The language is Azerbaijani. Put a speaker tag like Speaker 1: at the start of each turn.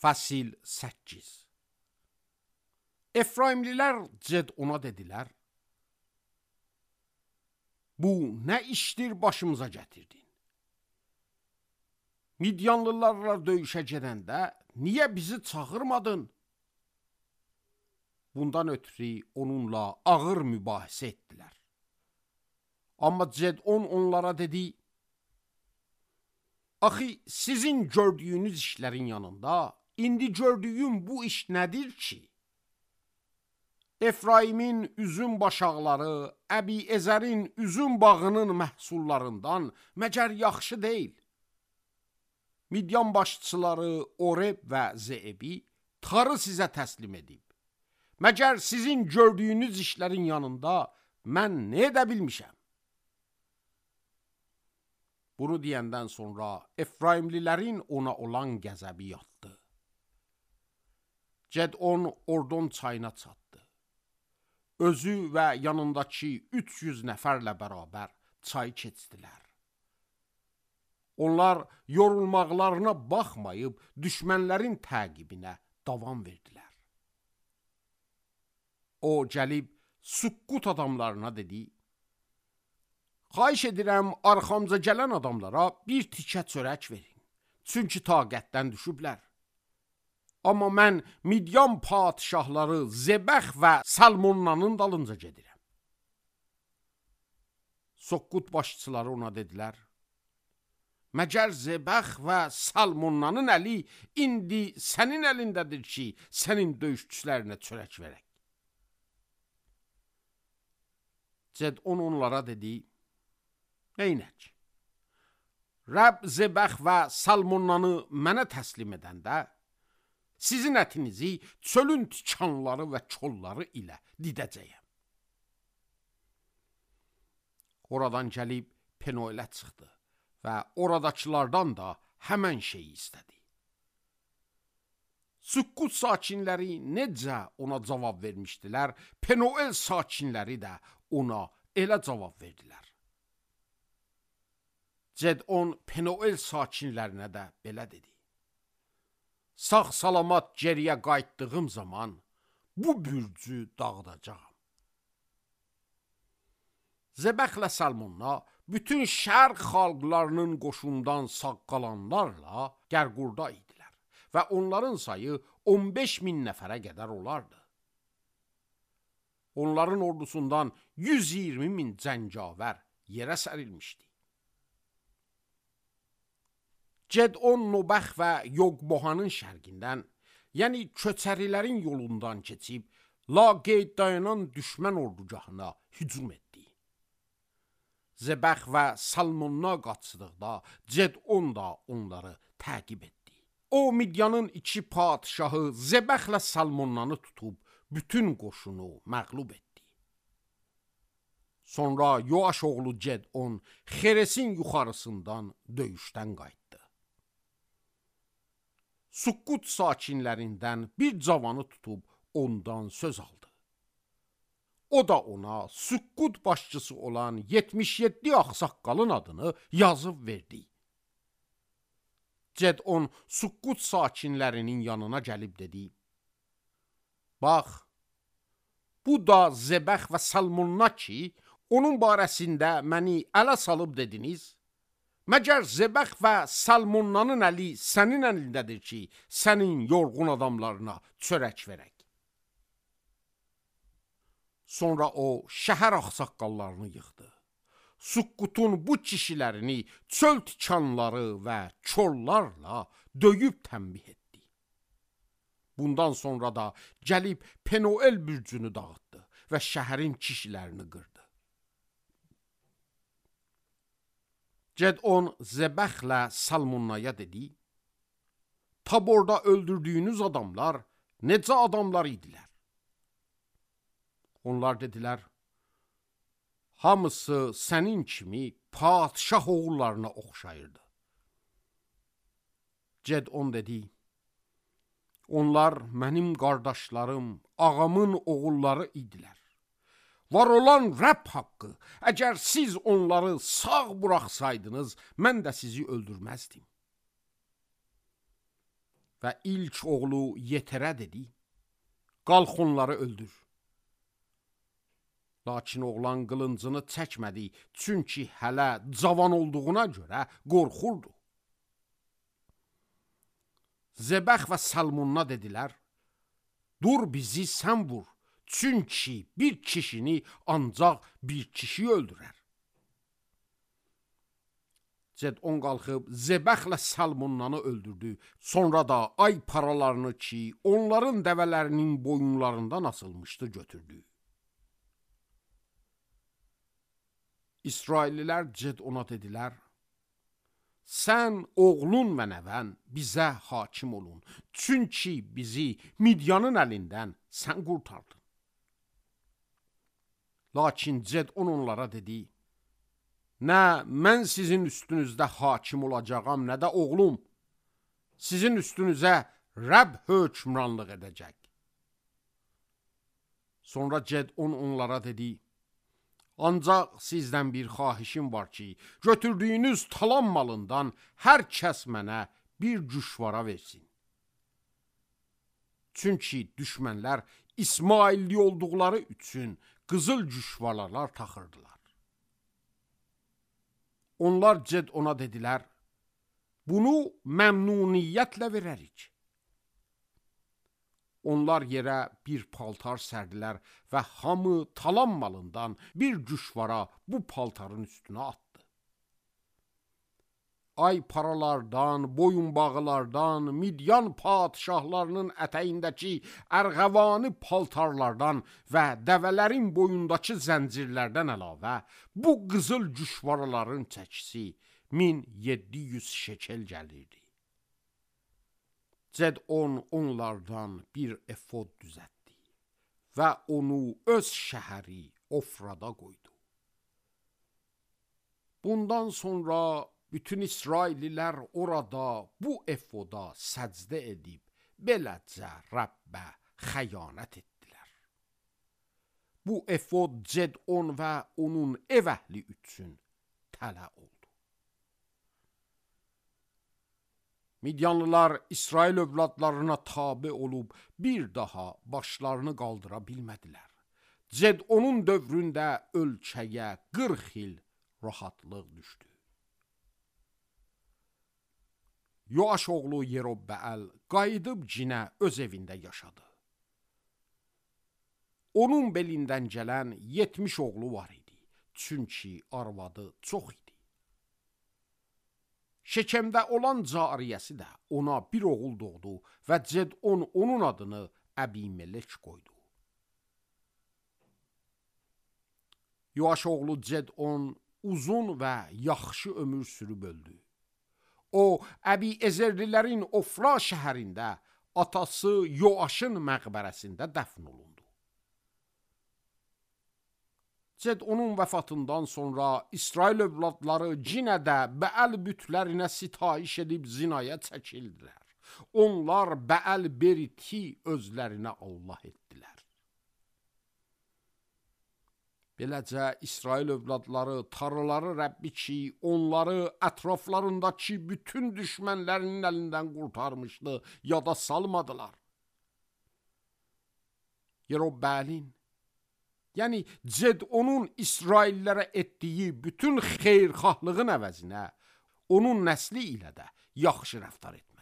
Speaker 1: Fəsil 8. Efraimlilər Cedona dedilər: Bu nə işdir başımıza gətirdin? Midyanlılarla döyüşə gedəndə niyə bizi çağırmadın? Bundan ötürü onunla ağır mübahisə etdilər. Amma Cedon onlara dedi: Axı sizin gördüyünüz işlərin yanında indi gördüyüm bu iş nədir ki? Efraimin üzüm başaqları, Əbi-Ezərin üzüm bağının məhsullarından məgər yaxşı deyil? Midyan başçıları Oreb və Zeebi tarı sizə təslim edib. Məgər sizin gördüyünüz işlərin yanında mən nə edə bilmişəm? Bunu deyəndən sonra Efraimlilərin ona olan qəzəbi yatdı. Cedon Ordon çayına çatdı. Özü və yanındakı 300 nəfərlə bərabər çay keçdilər. Onlar yorulmaqlarına baxmayıb düşmənlərin təqibinə davam verdilər. O gəlib Sukkut adamlarına dedi: Xahiş edirəm, arxamıza gələn adamlara bir tikə çörək verin. Çünki taqətdən düşüblər. Amma mən Midyan padişahları Zebəx və Salmonnanın dalınca gedirəm. Sukkut başçıları ona dedilər: Məgər Zebəx və Salmonnanın əli indi sənin əlindədir ki, sənin döyüşçülərinə çörək verək. Cedon onlara dedi: Neynək? Rəbb Zebəx və Salmonnanı mənə təslim edəndə, sizin ətinizi çölün tikanları və çolları ilə didəcəyəm. Oradan gəlib Penuelə çıxdı və oradakılardan da həmən şeyi istədi. Sukkut sakinləri necə ona cavab vermişdilər, Penuel sakinləri də ona elə cavab verdilər. Cedon Penuel sakinlərinə də belə dedi: Sağ-salamat geriyə qayıtdığım zaman bu bürcü dağıdacağam. Zebəxlə Salmonna bütün şərq xalqlarının qoşundan sağ qalanlarla Gərqurda idilər və onların sayı 15.000 nəfərə qədər olardı. Onların ordusundan 120.000 cəngavər yerə sərilmişdi. Cedon Nobəx və Yogbohanın şərqindən, yəni köçərilərin yolundan keçib, laqeyd dayanan düşmən ordugahına hücum etdi. Zebəx və Salmonna qaçdıqda Cedon da onları təqib etdi. O, Midyanın iki padişahı Zebəxlə Salmonnanı tutub, bütün qoşunu məğlub etdi. Sonra Yoaş oğlu Cedon Xeresin yuxarısından döyüşdən qayıtdı. Sukkut sakinlərindən bir cavanı tutub ondan söz aldı. O da ona Sukkut başçısı olan 77 ağsaqqalın adını yazıb verdi. Cedon Sukkut sakinlərinin yanına gəlib dedi: Bax, bu da Zebəx və Salmonna ki, onun barəsində məni ələ salıb dediniz. Məgər Zebəx və Salmonnanın əli sənin əlindədir ki, sənin yorğun adamlarına çörək verək. Sonra o, şəhər ağsaqqallarını yığdı. Sukkutun bu kişilərini çöl tikanları və çollarla döyüb tənbih etdi. Bundan sonra da gəlib Penuel bürcünü dağıtdı və şəhərin kişilərini qırdı. Cedon Zebəxlə Salmonnaya dedi: Taborda öldürdüyünüz adamlar necə adamlar idilər? Onlar dedilər: Hamısı sənin kimi padişah oğullarına oxşayırdı. Cedon dedi: Onlar mənim qardaşlarım, ağamın oğulları idilər. Var olan Rəbb haqqı, əgər siz onları sağ buraxsaydınız, mən də sizi öldürməzdim. və ilk oğlu Yeterə dedi: qalx onları öldür. Lakin oğlan qılıncını çəkmədi, çünki hələ cavan olduğuna görə qorxurdu. Zebəx və Salmunna dedilər: dur bizi sən vur, çünki bir kişini ancaq bir kişi öldürər. Cedon qalxıb Zebəxlə Salmunnanı öldürdü. Sonra da ay paralarını ki, onların dəvələrinin boyunlarından asılmışdı, götürdü. İsraillilər Cedona dedilər: sən, oğlun və nəvən bizə hakim olun, çünki bizi Midyanın əlindən sən qurtardın. Lakin Cedon onlara dedi: nə mən sizin üstünüzdə hakim olacağam, nə də oğlum. Sizin üstünüzə Rəbb hökmranlıq edəcək. Sonra Cedon onlara dedi: ancaq sizdən bir xahişim var ki, götürdüyünüz talan malından hər kəs mənə bir cüşvara versin. Çünki düşmənlər İsmailli olduqları üçün qızıl cüşvaralar taxırdılar. Onlar Cedona dedilər: bunu məmnuniyyətlə verərik. Onlar yerə bir paltar sərdilər və hamı talan malından bir cüşvara bu paltarın üstünə atdı. Ay paralardan, boyunbağılardan, Midyan padişahlarının ətəyindəki ərğəvani paltarlardan və dəvələrin boyundakı zəncirlərdən əlavə bu qızıl cüşvaraların çəkisi 1700 şekel gəlirdi. Cedon onlardan bir efod düzəltdi və onu öz şəhəri Ofrada qoydu. Bundan sonra bütün İsraillilər orada bu efoda səcdə edib beləcə Rəbbə xəyanət etdilər. Bu efod Cedon və onun ev əhli üçün tələ oldu. Midyanlılar İsrail övladlarına tabe olub bir daha başlarını qaldıra bilmədilər. Cedonun dövründə ölkəyə 40 il rahatlıq düşdü. Yoaş oğlu Yerobbəəl qayıdıb cinə öz evində yaşadı. Onun belindən gələn 70 oğlu var idi, çünki arvadı çox idi. Şekemdə olan cariyəsi də ona bir oğul doğdu və Cedon onun adını Əbimelek qoydu. Yoaş oğlu Cedon uzun və yaxşı ömür sürüb öldü. O, Əbiezerlilərin Ofra şəhərində atası Yoaşın məqbərəsində dəfn olundu. Cedonun vəfatından sonra İsrail övladları cinə də Bəəl bütlərinə sitayiş edib zinaya çəkildilər. Onlar Bəəl Beriti özlərinə Allah etdilər. Beləcə İsrail övladları tarlaları Rəbbi ki, onları ətraflarındakı bütün düşmənlərinin əlindən qurtarmışdı, yada salmadılar. Yerobbəəlin, yəni Cedonun İsraillərə etdiyi bütün xeyirxahlığın əvəzinə onun nəsli ilə də yaxşı rəftar etmişdi.